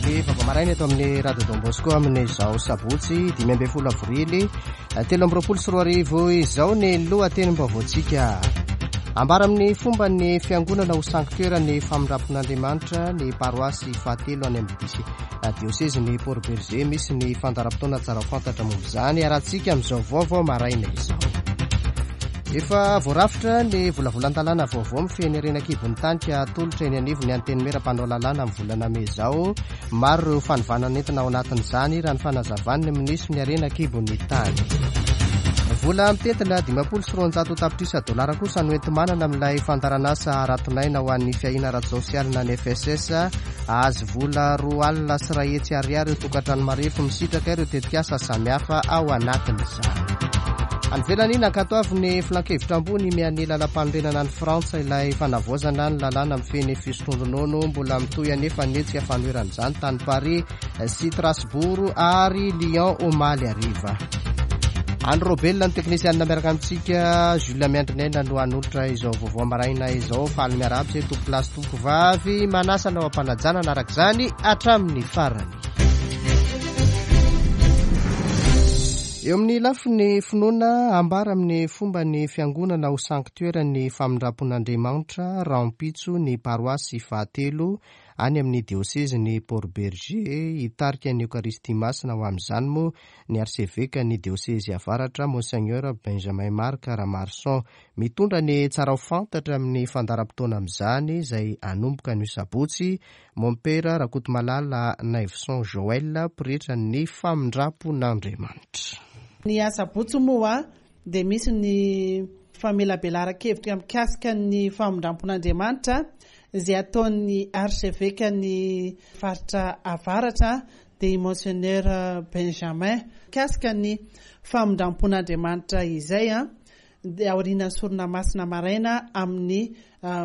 Ny vaovao maraina eto amin'ny Radio Don Bosco amin'izao sabotsy 15 avrily 2023 izao ny lohatenim-baovaontsika. Ambara amin'ny fomba ny fiangonana ho sanctuaire ny famindrampon'Andriamanitra ny paroasy fahatelo any amin'ny diosezin'i Port Bergé. Misy ny fandaharam-potoana tsara ho fantatra momba izany arahantsika amin'izao vaovao maraina izao. Efa voarafitra ny volavolan-dalàna vaovao mifehy ny harena an-kibon'ny tany ka atolotra eny anivon'ny Antenimiera mpanao lalàna amin'ny volana mey izao. Maro ireo fanovana nentina ao anatin'izany raha ny fanazavan'ny minisitry ny harena an-kibon'ny tany. Vola mitentina 250 tapitrisa dolara kosa no enti-manana amin'ilay fandaharanasa haraton'aina ho an'ny fiahiana ara-tsosialy na ny FSS. Hahazo vola 102 ariary ireo tokantrano marefo misitraka ireo tetikasa samihafa ao anatin'izany. Any ivelany, nankatoavin'ny Filankevitra ambony miha ny lalàmpanorenana any Frantsa ilay fanavaozana ny lalàna mifehy ny fisotroan-dronono. Mbola mitohy anefa ny hetsika fanoherana izany tany Paris sy Strasbourg ary Lyon omaly hariva. Andry Robel ny teknisianina miaraka amintsika, Jules Miandrinaina no hanolotra izao vaovao maraina izao. Faly miarahaba izay tompokolahy sy tompokovavy, manasa anao am-panajana hanaraka izany hatramin'ny farany. Eo amin'ny lafiny finoana, ambara amin'ny fomba ny fiangonana ho sanctuaire ny famindram-pon'Andriamanitra rahampitso ny paroasy fahatelo any amin'ny diosezin'i Port Bergé. Hitarika ny Eokaristia Masina ho amin'izany moa ny arsevekan'ny diosezy avaratra Monseigneur Benjamin Marc Ramarson. Mitondra ny tsara ho fantatra amin'ny fandaharam-potoana amin'izany izay hanomboka anio sabotsy Mompera Rakotomalala Naivoson Joël, pretra ny famindrampon'Andriamanitra. Ny asabotsy moa dia misy ny famelabelaran-kevitra mikasika ny famindrampon'Andriamanitra izay ataon'ny arsevekan'ny faritra avaratra dia i Monseigneur Benjamin mikasika ny famindrampon'Andriamanitra izay. Dia aorianan'ny sorona masina maraina amin'ny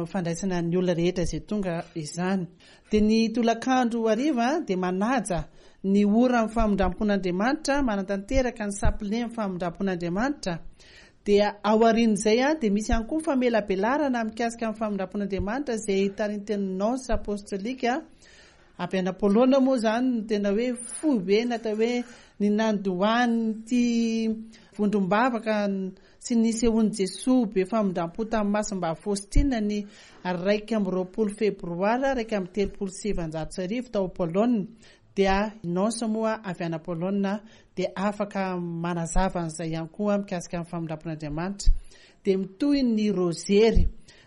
fandraisana ny olona rehetra izay tonga izany. Dia ny tolakandro hariva dia manaja ny ora amin'ny famindrampon'Andriamanitra, manatanteraka ny sapile amin'ny famindrampon'Andriamanitra. Dia aorian'izay dia misy ihany koa famelabelarana mikasika ny famindrampon'Andriamanitra izay tarintin'ny Nonce Apostolique. Avy any Polonina moa izany no tena hoe foibe natao hoe ny nandohan'ity vondrom-bavaka sy ny nisehoan'i Jesoa be famindram-po tamin'i Masimbavy Faustina ny 21 febroary 1931 tao Polonina dia nonce moa avy any Polonina dia afaka manazava an'izay ihany koa mikasika ny famindram-pon'Andriamanitra dia mitohy ny rozery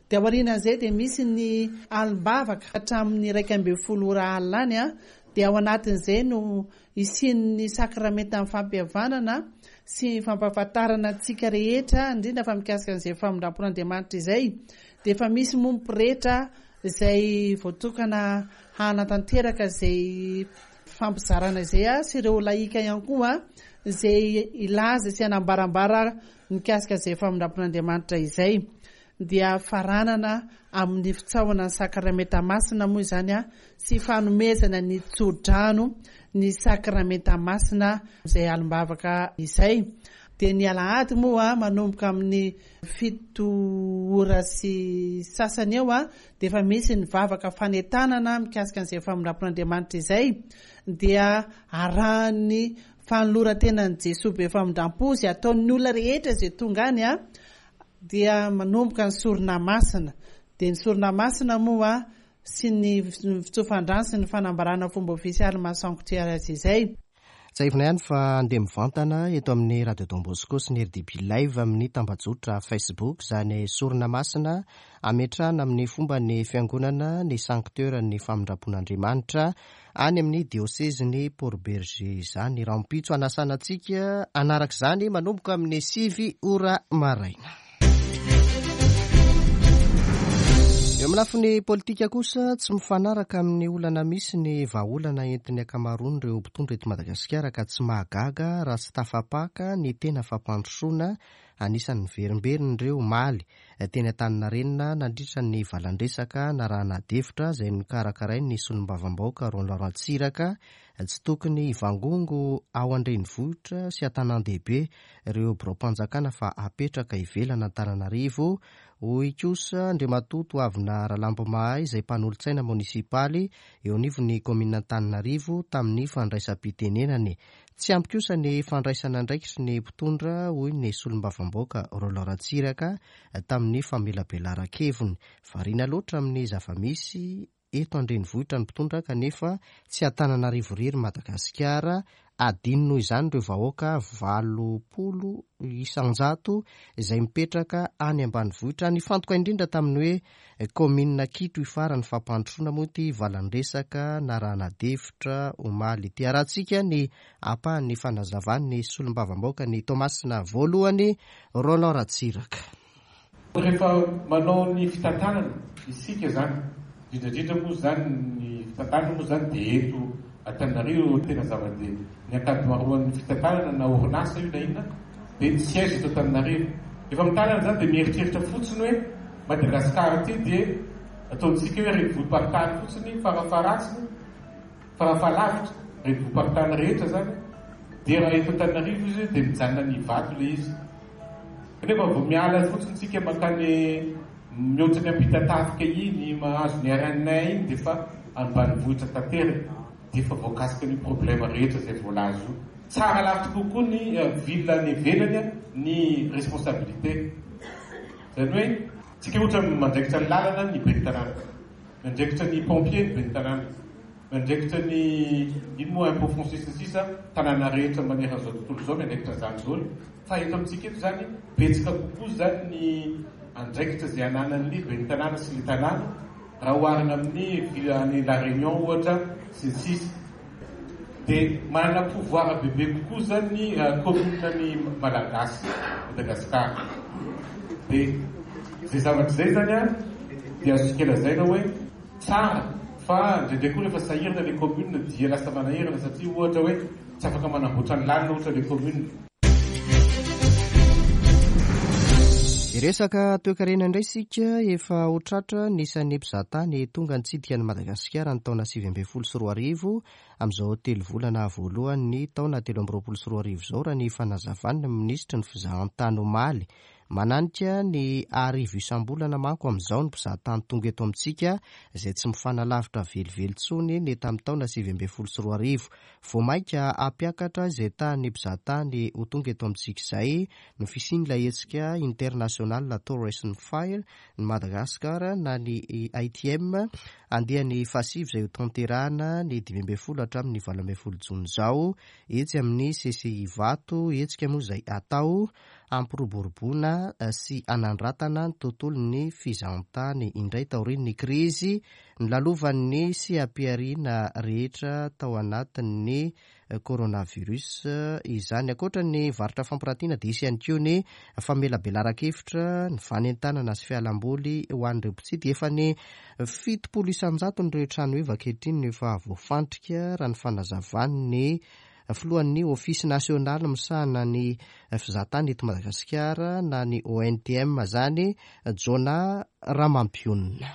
Dia aorianan'izay dia misy ny alim-bavaka hatramin'ny 11 ora alina any, dia ao anatin'izay no hisian'ny sakramentan'ny fampihavanana sy fampahafantarana antsika rehetra, indrindra fa mikasika an'izay famindram-pon'Andriamanitra izay, dia efa misy moa ny pretra izay voatokana hanatanteraka izay fampizarana izay sy ireo lahika ihany koa izay hilaza sy hanambarambara mikasika izay famindram-pon'Andriamanitra izay. dia faranana amin'ny fitsaohana ny Sakramenta Masina moa izany sy fanomezana ny tso-drano ny Sakramenta Masina izay alim-bavaka izay. Dia ny alahady moa manomboka amin'ny 7 ora sy sasany eo dia efa misy ny vavaka fanentanana mikasika an'izay famindram-pon'Andriamanitra izay dia arahan'ny fanoloran-tenan'i Jesoa be famindram-po izay ataon'ny olona rehetra izay tonga any Dia manomboka ny sorona masina. Dia ny sorona masina moa sy ny fitsofan-drano sy ny fanambarana fomba ofisialy maha sanctuaire azy izay. Tsiahivina ihany fa handeha mivantana eto amin'ny Radio Don Bosco sy ny rdb Live amin'ny tambajotra Facebook izany sorona masina hametrahana amin'ny fomban'ny Fiangonana ny Sanctuaire-n'ny Famindram-pon'Andriamanitra any amin'ny diosezin'i Port Bergé izany rahampitso hanasana antsika hanaraka izany manomboka amin'ny 9 ora maraina. Eo amin'ny lafiny politika kosa, tsy mifanaraka amin'ny olana misy ny vahaolana entin'ny ankamaroan'ireo mpitondra eto Madagasikara ka tsy mahagaga raha tsy tafapaka ny tena fampandrosoana anisan'ny niverimberina ireo omaly. teny Antaninarenina nandritra ny valan-dresaka narahana adihevitra izay nokarakarain'ny solombavambahoaka Roland Ratsiraka. Tsy tokony hivangongo ao an-drenivohitra sy an-tanàn-dehibe ireo biraom-panjakana fa apetraka ivelan'Antananarivo, hoy kosa Andriamatoa Toavina Ralambomahay izay mpanolotsaina monisipaly eo anivon'ny kaominina Antananarivo tamin'ny fandraisam-pitenenany. Tsy ampy kosa ny fandraisana andraikitry ny mpitondra, hoy ny solombavambahoaka Roland Ratsiraka tamin'ny famelabelaran-keviny. Variana loatra amin'ny zava-misy eto an-drenivohitra ny mpitondra kanefa tsy Antananarivo irery Madagasikara, adino noho izany ireo vahoaka 80% izay mipetraka any ambanivohitra. Nifantoka indrindra tamin'ny hoe kaominina Kitro Ifara ny fampandrosoana moa ity valan-dresaka narahana adihevitra omaly ity. Arahantsika ny ampahan'ny fanazavan'ny solombavambahoaka ny Toamasina voalohany, Roland Ratsiraka. Rehefa manao ny fitantanana isika izany, indrindra indrindra moa izany ny fitantanana moa izany dia eto Antananarivo tena zava-dehibe. Ny ankamaroan'ny fitantanana na orinasa io na inona dia ny siège eto Antananarivo. Rehefa mitanana izany dia mieritreritra fotsiny hoe Madagascar ity dia ataontsika hoe renivohi-paritany fotsiny farafaharatsiny, farafahalavitra, renivohi-paritany rehetra izany dia raha eto Antananarivo izy dia mijanona any Ivato ilay izy. Kanefa vao miala fotsiny tsika mankany mihoatra ny Ampitatafika iny, mahazo ny RN iny dia efa ambanivohitra tanteraka, dia efa voakasika an'io problème rehetra izay voalaza io. Tsara lavitra kokoa ny ville any ivelany ny responsabilité. Izany hoe tsika ohatra mandraikitra ny lalana ny ben'ny tanàna, miandraikitra ny pompier ny ben'ny tanàna, miandraikitra ny ino moa impôt foncier sy ny sisa, tanàna rehetra manerana izao tontolo izao miandraikitra an'izany daholo. Fa eto amintsika eto izany, betsaka kokoa izany ny andraikitra izay ananan'ny ben'ny tanàna sy ny tanàna raha oharina amin'ny ville any La Réunion ohatra sy ny sisa. Dia manana pouvoir bebe kokoa izany ny commune ny Malagasy, Madagascar. Dia izay zavatra izay izany an, dia azontsika lazaina hoe tsara fa indraindray koa rehefa sahirana ilay commune dia lasa manahirana satria ohatra hoe Tsy afaka manamboatra ny lalana ohatra le commune. Hiresaka toekarena indray isika, efa ho tratra ny isan'ny mpizahatany tonga nitsidika an'i Madagasikara ny taona 2019 amin'izao telo volana voalohan'ny taona 2023 izao raha ny fanazavan'ny minisitry ny fizahantany omaly. Mananika ny arivo isam-bolana manko amin'izao ny mpizahatany tonga eto amintsika izay tsy mifanalavitra velively intsony ny tamin'ny taona 2019. Vao mainka hampiakatra izay tahan'ny mpizahatany ho tonga eto amintsika izay ny fisian'ilay hetsika International Tourism Fair ny Madagascar na ny ITM andiany fahasivy izay hotanterahana ny 15 hatramin'ny 18 jona izao etsy amin'ny CCI Ivato, hetsika moa izay atao hampiroboroboana sy hanandratana ny tontolon'ny fizahantany indray taorian'ny krizy Nolalovan'ny seha-pihariana rehetra tao anatin'ny coronavirus izany. Ankoatra ny varotra fampirantiana dia hisy ihany koa ny famelabelaran-kevitra, ny fanentanana sy fialamboly ho an'ireo mpitsidika. Efa ny 70 isan-jaton'ireo trano heva ankehitriny no efa voafantrika raha ny fanazavan'ny filohan'ny Ofisy nasionaly misahana ny fizahatany eto Madagasikara na ny ONTM izany, Jonah Ramampionona.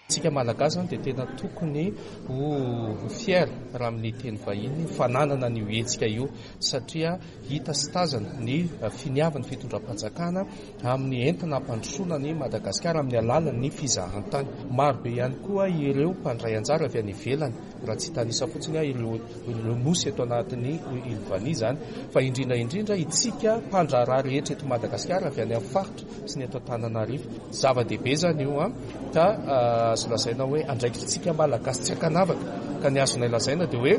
Tsika Malagasy zany dia tena tokony ho fier raha amin'ny teny vahiny fananana an'io hetsika io satria hita sy tazana ny finiavan'ny fitondram-panjakana amin'ny entina hampandrosoana an'i Madagasikara amin'ny alalan'ny fizahantany. Maro be ihany koa ireo mpandray anjara avy any ivelany raha tsy hitanisa fotsiny aho ireo ireo nosy eto anatin'ny Île Vania izany fa indrindra indrindra itsika mpandraharaha rehetra eto Madagasikara avy any amin'ny faritra sy ny eto Antananarivo. Zava-dehibe izany io an, ka azo lazaina hoe andraikitritsika Malagasy tsy ankanavaka, ka ny azonay lazaina dia hoe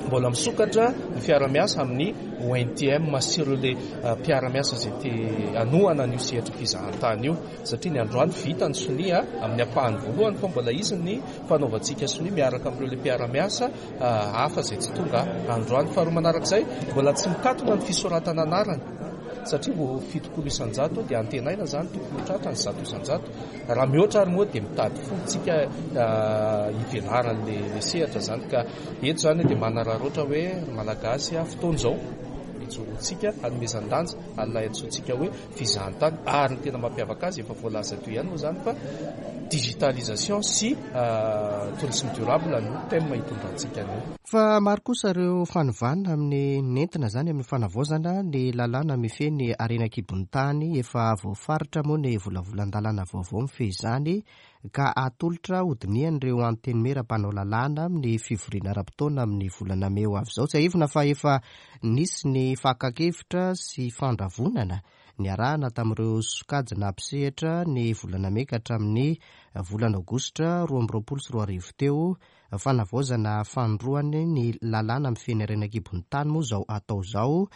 mbola misokatra ny fiara-miasa amin'ny ONTM sy ireo le mpiara-miasa izay te hanohana an'io sehatry ny fizahantany io, satria ny androany vita ny sonia amin'ny ampahany voalohany fa mbola hisy ny fanaovantsika sonia miaraka amin'ireo le mpiara-miasa hafa izay tsy tonga androany. Faharoa manarak'izay, mbola tsy mikatona ny fisoratana anarana satria vao 70% dia antenaina izany tokony ho tratra ny 100%. Raha mihoatra ary moa dia mitady fomba tsika hivelaran'le sehatra izany ka eto izany dia manararaotra hoe ry Malagasy fotoana izao. ijoroantsika hanomezan-danja an'ilay antsointsika hoe fizahantany ary ny tena mampiavaka azy efa voalaza teo ihany moa izany fa digitalisation sy tourisme durable no thème hitondrantsika an'io. Fa maro kosa ireo fanovana amin'ny nentina izany amin'ny fanavaozana ny lalàna mifehy ny harena an-kibon'ny tany. Efa voafaritra moa ny volavolan-dalàna vaovao mifehy izany ka atolotra hodinihan'ireo antenimiera mpanao lalàna amin'ny fivoriana ara-potoana amin'ny volana mey ho avy izao. Tsiahivina fa efa nisy ny fakan-kevitra sy fandravonana niarahana tamin'ireo sokajina mpisehatra ny volana mey ka hatramin'ny volana aogositra 2022 teo. Fanavaozana fanindroany ny lalàna mifehy ny harena an-kibon'ny tany moa izao atao izao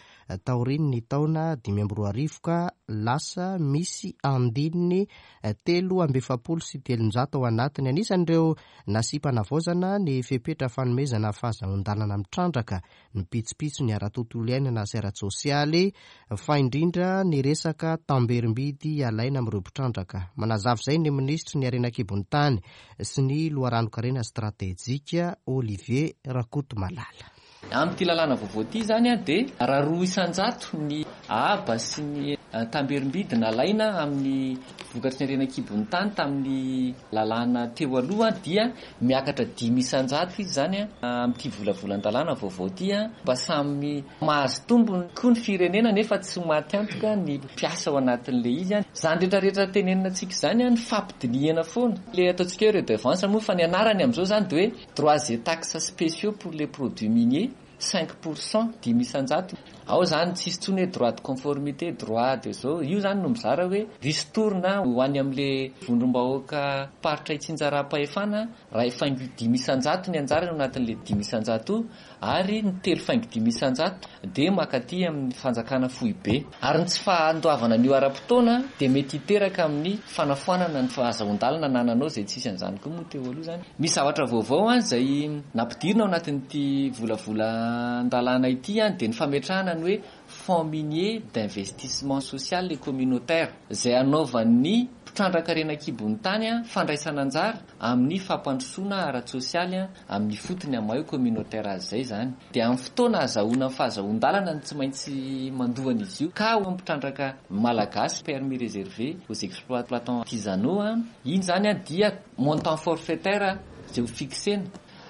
taorian'ny taona 2005 ka lasa misy andininy 343 ao anatiny. Anisan'ireo nasiam-panavaozana ny fepetra fanomezana fahazahoan-dalana mitrandraka ny pitsopitsony ara-tontolo iainana sy ara-tsosialy, fa indrindra ny resaka tamberim-bidy alaina amin'ireo mpitrandraka. Manazava izay ny minisitry ny harena an-kibon'ny tany sy ny loharanon-karena stratejika, Olivier Rakotomalala. Amin'ity lalàna vaovao ity izany dia raha 2% ny haba sy ny tamberim-bidy nalaina amin'ny vokatry ny harena an-kibon'ny tany tamin'ny lalàna teo aloha dia miakatra 5% izy izany amin'ity volavolan-dalàna vaovao ity mba samy mahazo tombony koa ny firenena nefa tsy ho maty antoka ny mpiasa ao anatin'ilay izy. Izany rehetra rehetra tenenina antsika izany ny fampidinihana foana. Ilay ataontsika hoe redevance moa fa ny anarany amin'izao izany dia hoe droits et taxes spéciaux pour les produits miniers, 5%, 5%. Ao izany tsisy intsony hoe droit de conformité, droit de zao. Io izany no mizara hoe ristourne ho any amin'ilay vondrom-bahoaka faritra itsinjaram-pahefana, raha faingo 5% ny anjarany ao anatin'ilay 5% io, ary ny 3,5% dia mankaty amin'ny fanjakana foibe. Ary ny tsy fahandoavana an'io ara-potoana dia mety hiteraka amin'ny fanafoanana ny fahazahoan-dalana anananao izay tsisy an'izany koa moa teo aloha izany. Misy zavatra vaovao izay nampidirina ao anatin'ity volavolan-dalàna ity dia ny fametrahana ny hoe Fonds minier d'investissement social et communautaire izay hanaovan'ny mpitrandraka harena an-kibon'ny tany fandraisana anjara amin'ny fampandrosoana ara-tsosialy amin'ny fotony amin'ny maha hoe communautaire azy izay izany. Dia amin'ny fotoana ahazahoana ny fahazahoan-dalana no tsy maintsy mandoa an'izy io ka ho an'ny mpitrandraka malagasy permis réservé aux exploitants artisanaux iny izany dia montant forfaitaire izay ho fixena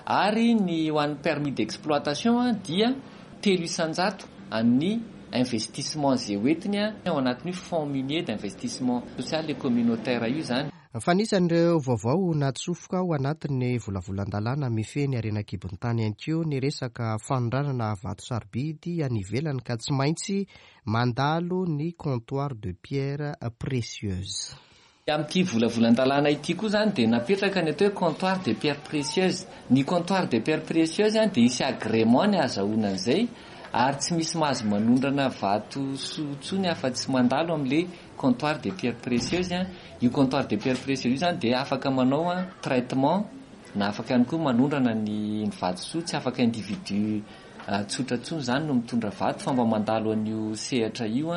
ary ny ho an'ny permis d'exploitation dia 3% an'ny investissement izay hoentiny ao anatin'io fonds minier d'investissement social et communautaire io izany. Fa anisan'ireo vaovao natsofoka ao anatin'ny volavolan-dalàna mifehy ny harena an-kibon'ny tany ihany koa ny resaka fanondranana vato sarobidy any ivelany ka tsy maintsy mandalo ny comptoir de pierres précieuses. Amin'ity volavolan-dalàna ity koa izany dia napetraka ny atao hoe comptoir de pierres précieuses. Ny comptoir de pierres précieuses dia hisy agrément ny ahazahoana an'izay ary tsy misy mahazo manondrana vato soa intsony afa-tsy mandalo amin'ilay comptoir de pierres précieuses. Io comptoir de pierres précieuses io izany dia afaka manao traitement na afaka ihany koa manondrana ny vatosoa, tsy afaka individu tsotra intsony izany no mitondra vato fa mba mandalo an'io sehatra io.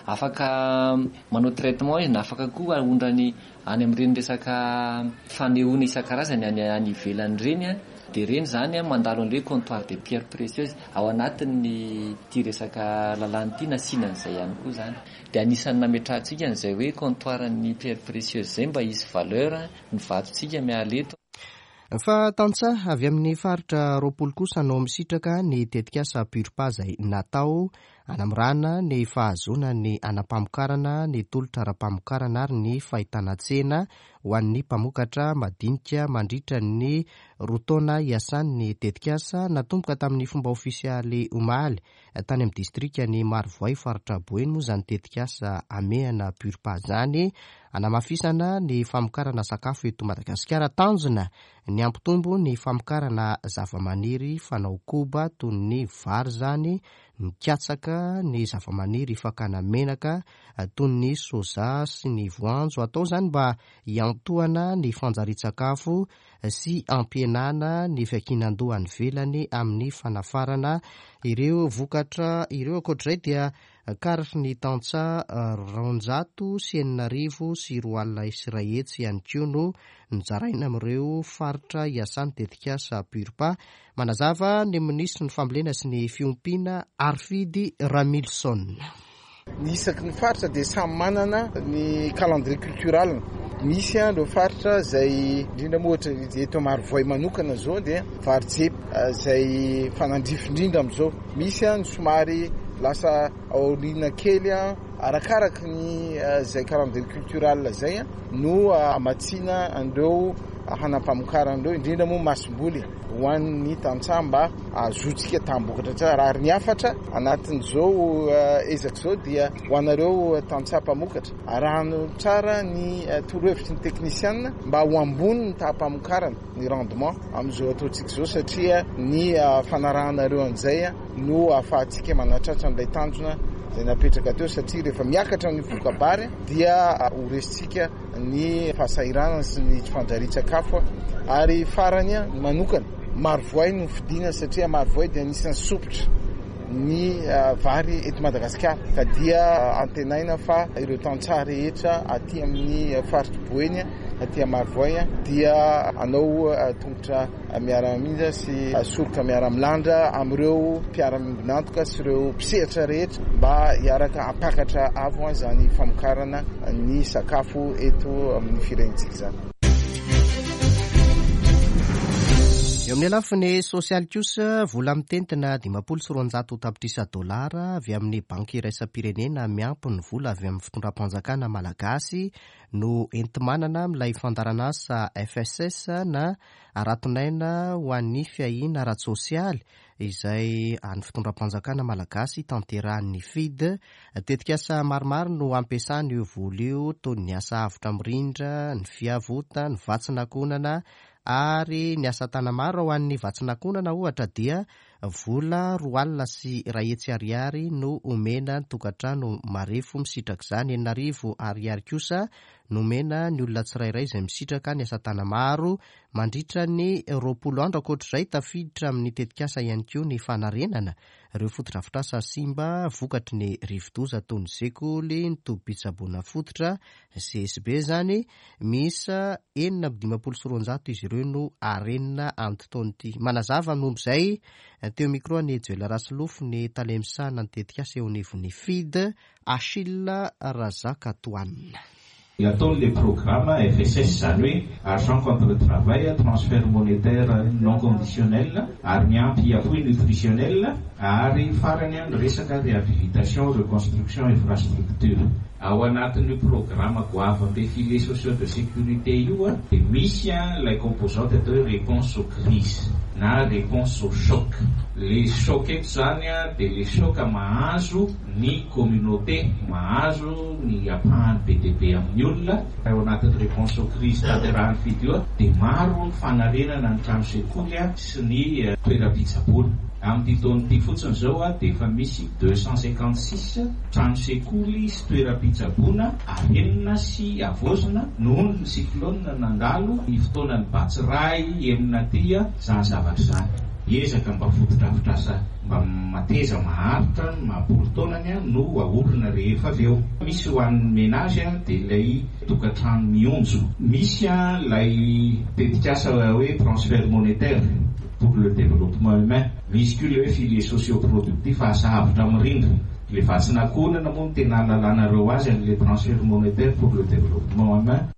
Afaka manao traitement izy na afaka koa aondrany any amin'ireny resaka fanehoana isan-karazany any ivelany ireny. Dia ireny izany mandalo an'ilay comptoir de pierres précieuses ao anatin'ny ity resaka lalàna ity nasiana an'izay ihany koa izany. Dia anisan'ny nametrahantsika an'izay hoe comptoir ny pierres précieuses izay mba hisy valeur ny vatontsika miala eto. Fa tantsaha avy amin'ny faritra 20 kosa no misitraka ny tetikasa Purpa izay natao hanamorana ny fahazoana ny anam-pamokarana, ny tolotra ara-pamokarana ary ny fahitana tsena ho an'ny mpamokatra madinika mandritra ny 2 taona hiasan'ny tetikasa. Natomboka tamin'ny fomba ofisialy omaly tany amin'ny distrikan'i Marovoay faritra Boeny moa izany tetikasa hamehana Purpa izany hanamafisana ny famokarana sakafo eto Madagasikara. Tanjona ny hampitombo ny famokarana zavamaniry fanao koba toy ny vary izany, ny katsaka, ny zavamaniry fakana menaka toy ny soja sy ny voanjo. Atao izany mba hiantohana ny fanjarian-tsakafo sy hampihenana ny fiankinan-doha any ivelany amin'ny fanafarana ireo vokatra ireo. Ankoatr'izay dia Karatry ny tantsaha 162 200 ihany koa no nozaraina amin'ireo faritra iasan'ny tetikasa PURPA. Manazava ny minisitry ny fambolena sy ny fiompiana Harifidy Ramilison. Ny isaky ny faritra dia samy manana ny calendrier cultural-ny. Misy ireo faritra izay, indrindra moa ohatra eto Marovoay manokana izao dia vary jepy izay mifanandrify indrindra amin'izao. Misy ny somary lasa aoriana kely arakaraky ny izay calendrier cultural izay no hamatsiana an'ireo hanam-pamokarana ireo, indrindra moa masomboly. ho an'ny tantsaha mba hahazoantsika taham-bokatra tsara. Ary ny hafatra anatin'izao ezaka izao dia ho anareo tantsaha mpamokatra, arahano tsara ny torohevitry ny teknisiana mba ho ambony ny taham-pamokarana, ny rendement, amin'izao ataontsika izao satria ny fanarahanareo an'izay no ahafahantsika manatratra an'ilay tanjona izay napetraka teo satria rehefa miakatra ny voka-bary dia ho resintsika ny fahasahiranana sy ny tsy fanjarian-tsakafo ary farany ny manokana Marovoay no fidina satria Marovoay dia anisan'ny sompitra ny vary eto Madagasikara ka dia antenaina fa ireo tantsaha rehetra aty amin'ny faritr'i Boeny aty Marovoay dia hanao tongotra miara-mija sy soroka miara-milandra amin'ireo mpiara-miombon'antoka sy ireo mpisehatra rehetra mba hiaraka hampakatra avo izany famokarana ny sakafo eto amin'ny firenentsika izany. Eo amin'ny lafiny sosialy kosa, vola mitentina 250 tapitrisa dolara avy amin'ny Banky iraisam-pirenena miampy ny vola avy amin'ny fitondram-panjakana malagasy no enti-manana amin'ilay fandaharanasa FSS na Aratonaina ho an'ny fiahiana ara-tsosialy izay an'ny fitondram-panjakana malagasy tanterahin'ny FID. Tetikasa maromaro no ampiasana io vola io toy ny asa avotra mirindra, ny fiavota, ny vatsin'ankohonana ary ny asa tana-maro. Ho an'ny vatsin'ankohonana ohatra dia Vola 220 ariary no omena ny tokantrano marefo misitraka izany. 6000 ariary kosa no omena ny olona tsirairay izay misitraka ny asa tana-maro mandritra ny 20 andro. Ankoatra izay, tafiditra amin'ny tetikasa ihany koa ny fanarenana ireo fotodrafitrasa simba vokatry ny rivodoza toy ny sekoly, ny tobim-pitsaboana fototra, CSB izany, miisa 256 izy ireo no harenina amin'ity taona ity. Manazava ny momba izay teo micro an'i Joel Rasolofo ny tale misahana ny tetikasa eo anivon'ny FID, Achille Razakatoanina. Ny ataon'ilay programa FSS, izany hoe Argent contre travail, transfert monétaire non conditionnel, ary miampy appui nutritionnel, ary farany ny resaka réhabilitation, reconstruction infrastructure. Ao anatin'io programa goavam-be filets sociaux de sécurité io dia misy ilay composante atao hoe réponse aux crises na réponse aux chocs. Le choc eto izany dia le choc mahazo ny communauté, mahazo ny ampahany be dia be amin'ny olona. Ao anatin'ny réponse aux crises tanterahin'ny FID io dia maro ny fanarenana ny trano sekoly sy ny toeram-pitsaboana. Amin'ity taona ity fotsiny izao dia efa misy 256 trano sekoly sy toeram-pitsaboana arenina sy havaozina noho ny cyclone nandalo ny fotoanan'ny Batsirai enina aty izany zavatra izany. Ezaka mba fotodrafitrasa mba mateza maharitra ny maha-polo taonany no aorina rehefa avy eo. Misy ho an'ny ménage dia ilay tokantrano mionjo. Misy ilay tetikasa hoe transfert monétaire pour le développement humain. Misy koa ilay hoe filets sociaux productifs asa avotra mirindra. Ilay vatsin'ankohonana moa no tena ahalalanareo azy an'ilay transfert monétaire pour le développement humain.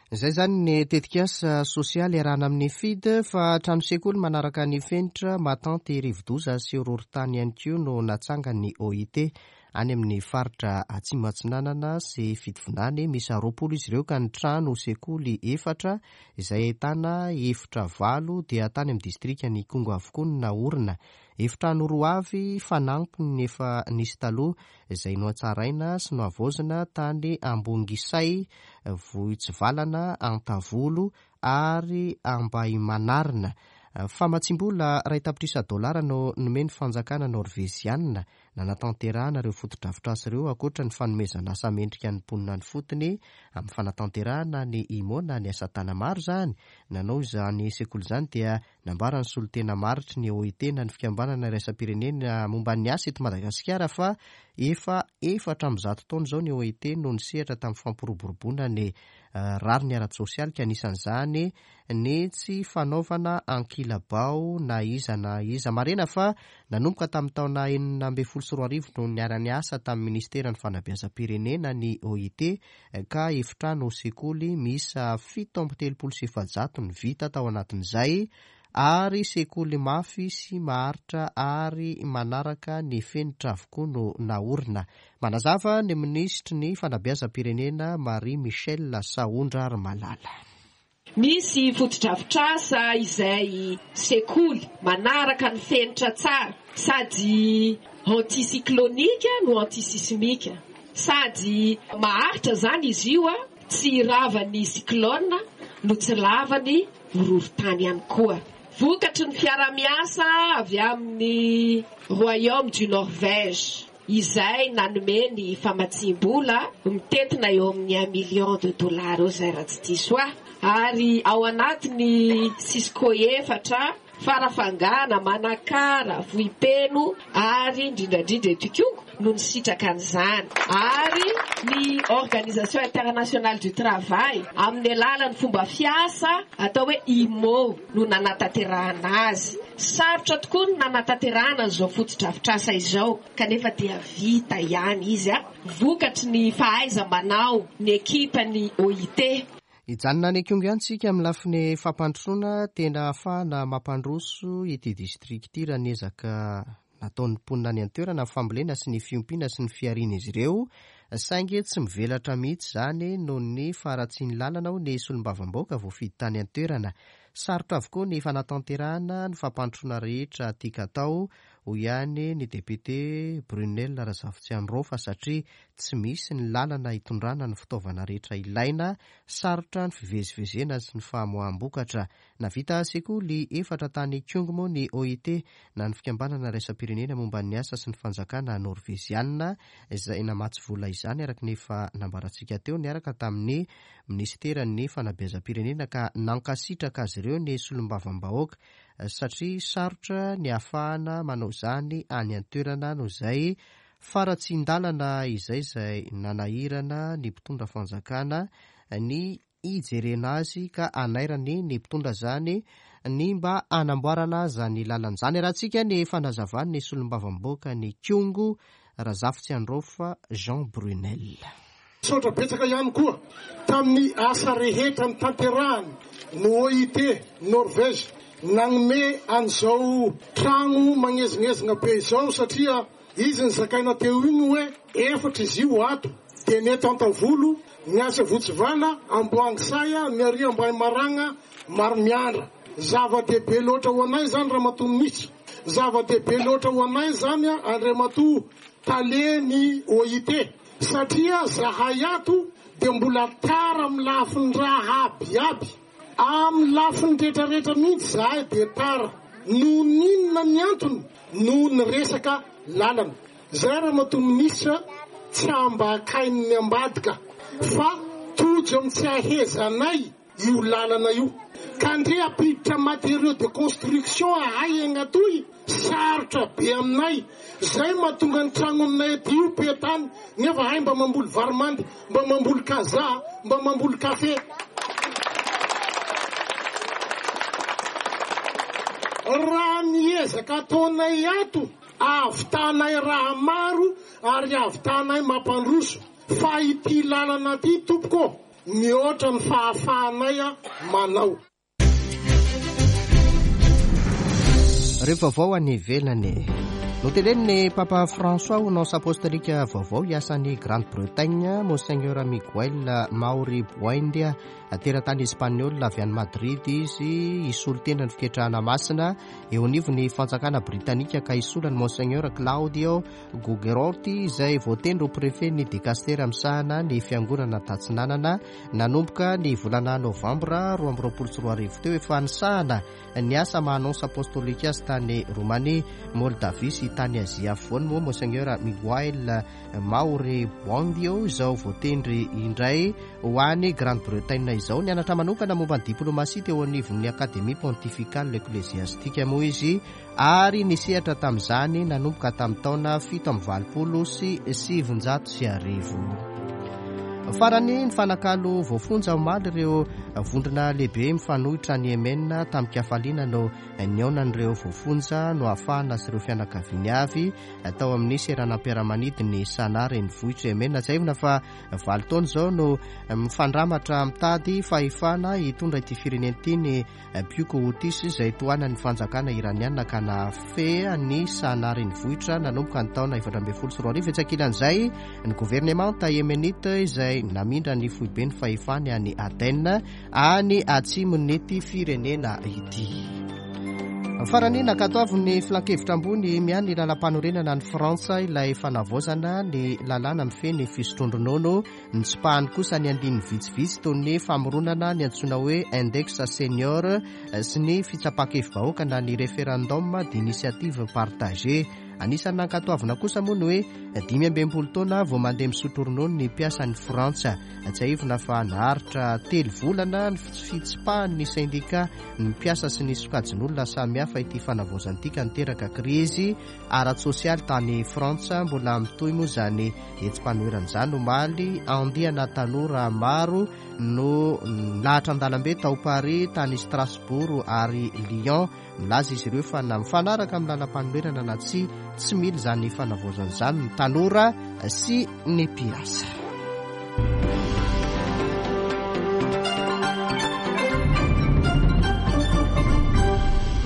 Izay izany ny tetikasa sosialy iarahana amin'ny FID fa trano sekoly manaraka ny fenitra mahatanty rivodoza sy horohorontany ihany koa no natsangan'ny OIT any amin'ny faritra Atsimo Atsinanana sy Fitovinany. Miisa 20 izy ireo ka ny trano sekoly efatra izay ahitana efitra valo dia tany amin'ny distrikan'Ikongo avokoa no naorina. Efitrano roa avy fanampiny efa nisy taloha izay nohatsaraina sy nohavaozina tany Ambongisay, Vohitsivalana, Antavolo ary Ambahimanarina. Famatsiam-bola iray tapitrisa dolara no nomen'ny fanjakana Norveziana nanatanterahana ireo fotodrafitrasa ireo ankoatra ny fanomezana asa mendrika ny mponina any fotony amin'ny fanatanterahana ny IMO na ny asa tana-maro izany. Nanao izany sekoly izany dia nambaran'ny solontena maritry ny OIT na ny fikambanana iraisam-pirenena momba ny asa eto Madagasikara fa efa 104 taona izao ny OIT no nisehatra tamin'ny fampiroboroboana ny rariny ara-tsosialy ka anisan'izany ny tsy fanaovana ankilabao na iza na iza. Marihina fa nanomboka tamin'ny taona 2016 no niara-niasa tamin'ny minisiteran'ny fanabeazam-pirenena ny OIT ka efitrano sekoly miisa 437 no vita tao anatin'izay ary sekoly mafy sy maharitra ary manaraka ny fenitra avokoa no naorina. Manazava ny minisitry ny fanabeazam-pirenena Marie Michelle Sahondrarimalala. Misy fotodrafitrasa izay sekoly manaraka ny fenitra tsara sady anti-cyclonique no anti-sismique. Sady maharitra izany izy io, tsy ravan'ny cyclone no tsy ravan'ny horohorontany ihany koa. Vokatry ny fiarahamiasa avy amin'ny Royaume du Norvège. izay nanome ny famatsiam-bola mitentina eo amin'ny un million de dollars eo izay raha tsy diso ahy, ary ao anatin'ny Cisco efatra, Farafangana, Manakara, Vohipeno ary indrindra indrindra eto Ikongo no nisitraka an'izany, ary ny Organisation Internationale du Travail amin'ny alalan'ny fomba fiasa atao hoe IMO no nanatanterahana azy. Sarotra tokoa ny nanatanterahana an'izao fotodrafitrasa izao kanefa dia vita ihany izy vokatry ny fahaiza-manao ny ekipan'ny OIT. Hijanona any Ikongo ihany isika amin'ny lafiny fampandrosoana tena ahafahana mampandroso ity distrika ity raha ny ezaka nataon'ny mponina any an-toerana ny fambolena sy ny fiompiana sy ny fiharian'izy ireo saingy tsy mivelatra mihitsy izany noho ny faharatsian'ny lalana hoy ny solombavambahoaka voafidy tany an-toerana. Sarotra avokoa ny fanatanterahana ny fampandrosoana rehetra tian-katao, hoy ihany ny depiote Brunelle Razafitsiandraofa satria tsy misy ny lalana hitondrana ny fitaovana rehetra ilaina, sarotra ny fivezivezena sy ny famoaham-bokatra. Navita sekoly efatra tany Ikongo moa ny OIT na ny Fikambanana Iraisam-pirenena momba ny Asa sy ny Fanjakana Norveziana izay namatsy vola izany araka ny efa nambarantsika teo niaraka tamin'ny Minisiteran'ny Fanabeazam-pirenena ka nankasitraka azy ireo ny solombavambahoaka satria sarotra ny ahafahana manao izany any an-toerana noho izay faharatsian-dalana izay izay nanahirana ny mpitondra fanjakana ny hijerena azy ka hanairany ny mpitondra izany ny mba hanamboarana izany lalana izany. Arahantsika ny fanazavan'ny solombavambahoaka ny Ikongo, Razafitsiandraofa Jean Brunel. Misaotra betsaka ihany koa tamin'ny asa rehetra notanterahany ny OIT Norvège nanome an'izao tragno magnezignezigna be izao satria izy nizakaina teo igny hoe efatra izy io ato dia ny eto Antavolo, ny atsy Avotsivala, Amboangisaya, ny ary Ambahimaragna, Maromiandra. Zava-dehibe loatra ho anay izany Ramatoa Minisitra. Zava-dehibe loatra ho anay izany Andriamatoa Tale ny OIT satria zahay ato dia mbola tara amin'ny lafiny raha aby aby. Amin'ny lafiny retraretra mihitsy zahay dia tara. Noho ny inona ny antony? Noho ny resaka lalana. Zay Ramatoa Minisitra tsy ambakain'ny ambadika fa tojo amin'ny tsy ahezanay io lalana io. Ka ndre ampiditra matériaux de construction ahay agnatoy sarotra be aminay. Zay mahatonga ny tragno aminay aty io petany nefa ahay mba mamboly vary mandy, mba mamboly kazaha, mba mamboly kafe. Raha ny ezaka ataonay ato Ahavitanay raha maro ary ahavitanay mampandroso fa ity lalana ity tompoko ô, mihoatra ny fahafahanay manao. Ireo vaovao any ivelany. Notenenin'ny Papa François ho nonce apostolika vaovao hiasa any Grande-Bretagne, Monseigneur Miguel Mauri Buendia. Teratany espaniola avy any Madrid izy, hisolo tena ny fiketrahana masina eo anivon'ny fanjakana britanika ka hisolo an'i Monseigneur Claudio Gugerotti izay voatendry ho prefet-n'ny dikastera misahana ny fiangonana tatsinanana nanomboka ny volana novambra 2022 teo. Efa nisahana ny asa maha nonce apostolika azy tany Romania, Moldavia sy tany Azia Afovoany moa Monseigneur Miguel Mauri Buendio izao voatendry indray ho any Grande-Bretagne izao. Nianatra manokana momba ny diplomasia teo anivon'ny Académie Pontificale Ecclésiastique moa izy ary nisehatra tamin'izany nanomboka tamin'ny taona 1987. Farany, nifanakalo voafonja omaly ireo vondrona lehibe mifanohitra any Yemen tamin-kafaliana no nihaonan'ireo voafonja nohafahana sy ireo fianakaviany avy tao amin'ny seranam-piaramanidin'i Sanaa renivohitr'i Yemen. Tsiahivina fa valo taona izao no mifandramatra mitady fahefana hitondra ity firenena ity ny Mpioko Houthis izay tohanan'ny fanjakana Iraniana ka nahafehy an'i Sanaa renivohitra nanomboka ny taona 2014. Etsy ankilan'izay, ny governemanta Yemenita izay namindra ny foiben'ny fahefany any Aden, any atsimon'ity firenena ity. Farany, nankatoavin'ny Filankevitra ambony miahy ny lalàmpanorenana any Frantsa ilay fanavaozana ny lalàna mifehy ny fisotroan-dronono. Notsipahany kosa ny andininy vitsivitsy toy ny famoronana ny antsoina hoe index senior sy ny fitsapan-kevi-bahoaka na ny référendum d'initiative partagée. Anisan'ny nankatoavina kosa moa ny hoe 65 taona vao mandeha misotro ronono ny mpiasan'ny Frantsa. Tsiahivina fa naharitra telo volana ny fitsipahan'ny sendika ny mpiasa sy ny sokajin'olona samihafa ity fanavaozana ity ka niteraka krizy ara-tsosialy tany Frantsa. Mbola mitohy moa izany hetsi-panoherana izany omaly. Andiana tanora maro no nilahatra an-dalambe tao Paris, tany Strasbourg ary Lyon. Nilaza izy ireo fa na mifanaraka amin'ny lalam-panoherana na tsia, tsy mila izany fanavaozana izany ny tanora sy ny mpiasa.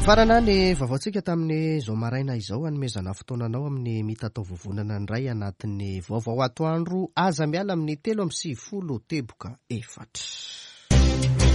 Mifarana ny vaovaontsika tamin'izao maraina izao hanomezana fotoana anao amin'ny mitatao vovonana ny iray anatin'ny vaovao atoandro aza miala amin'ny 93 teboka efatra.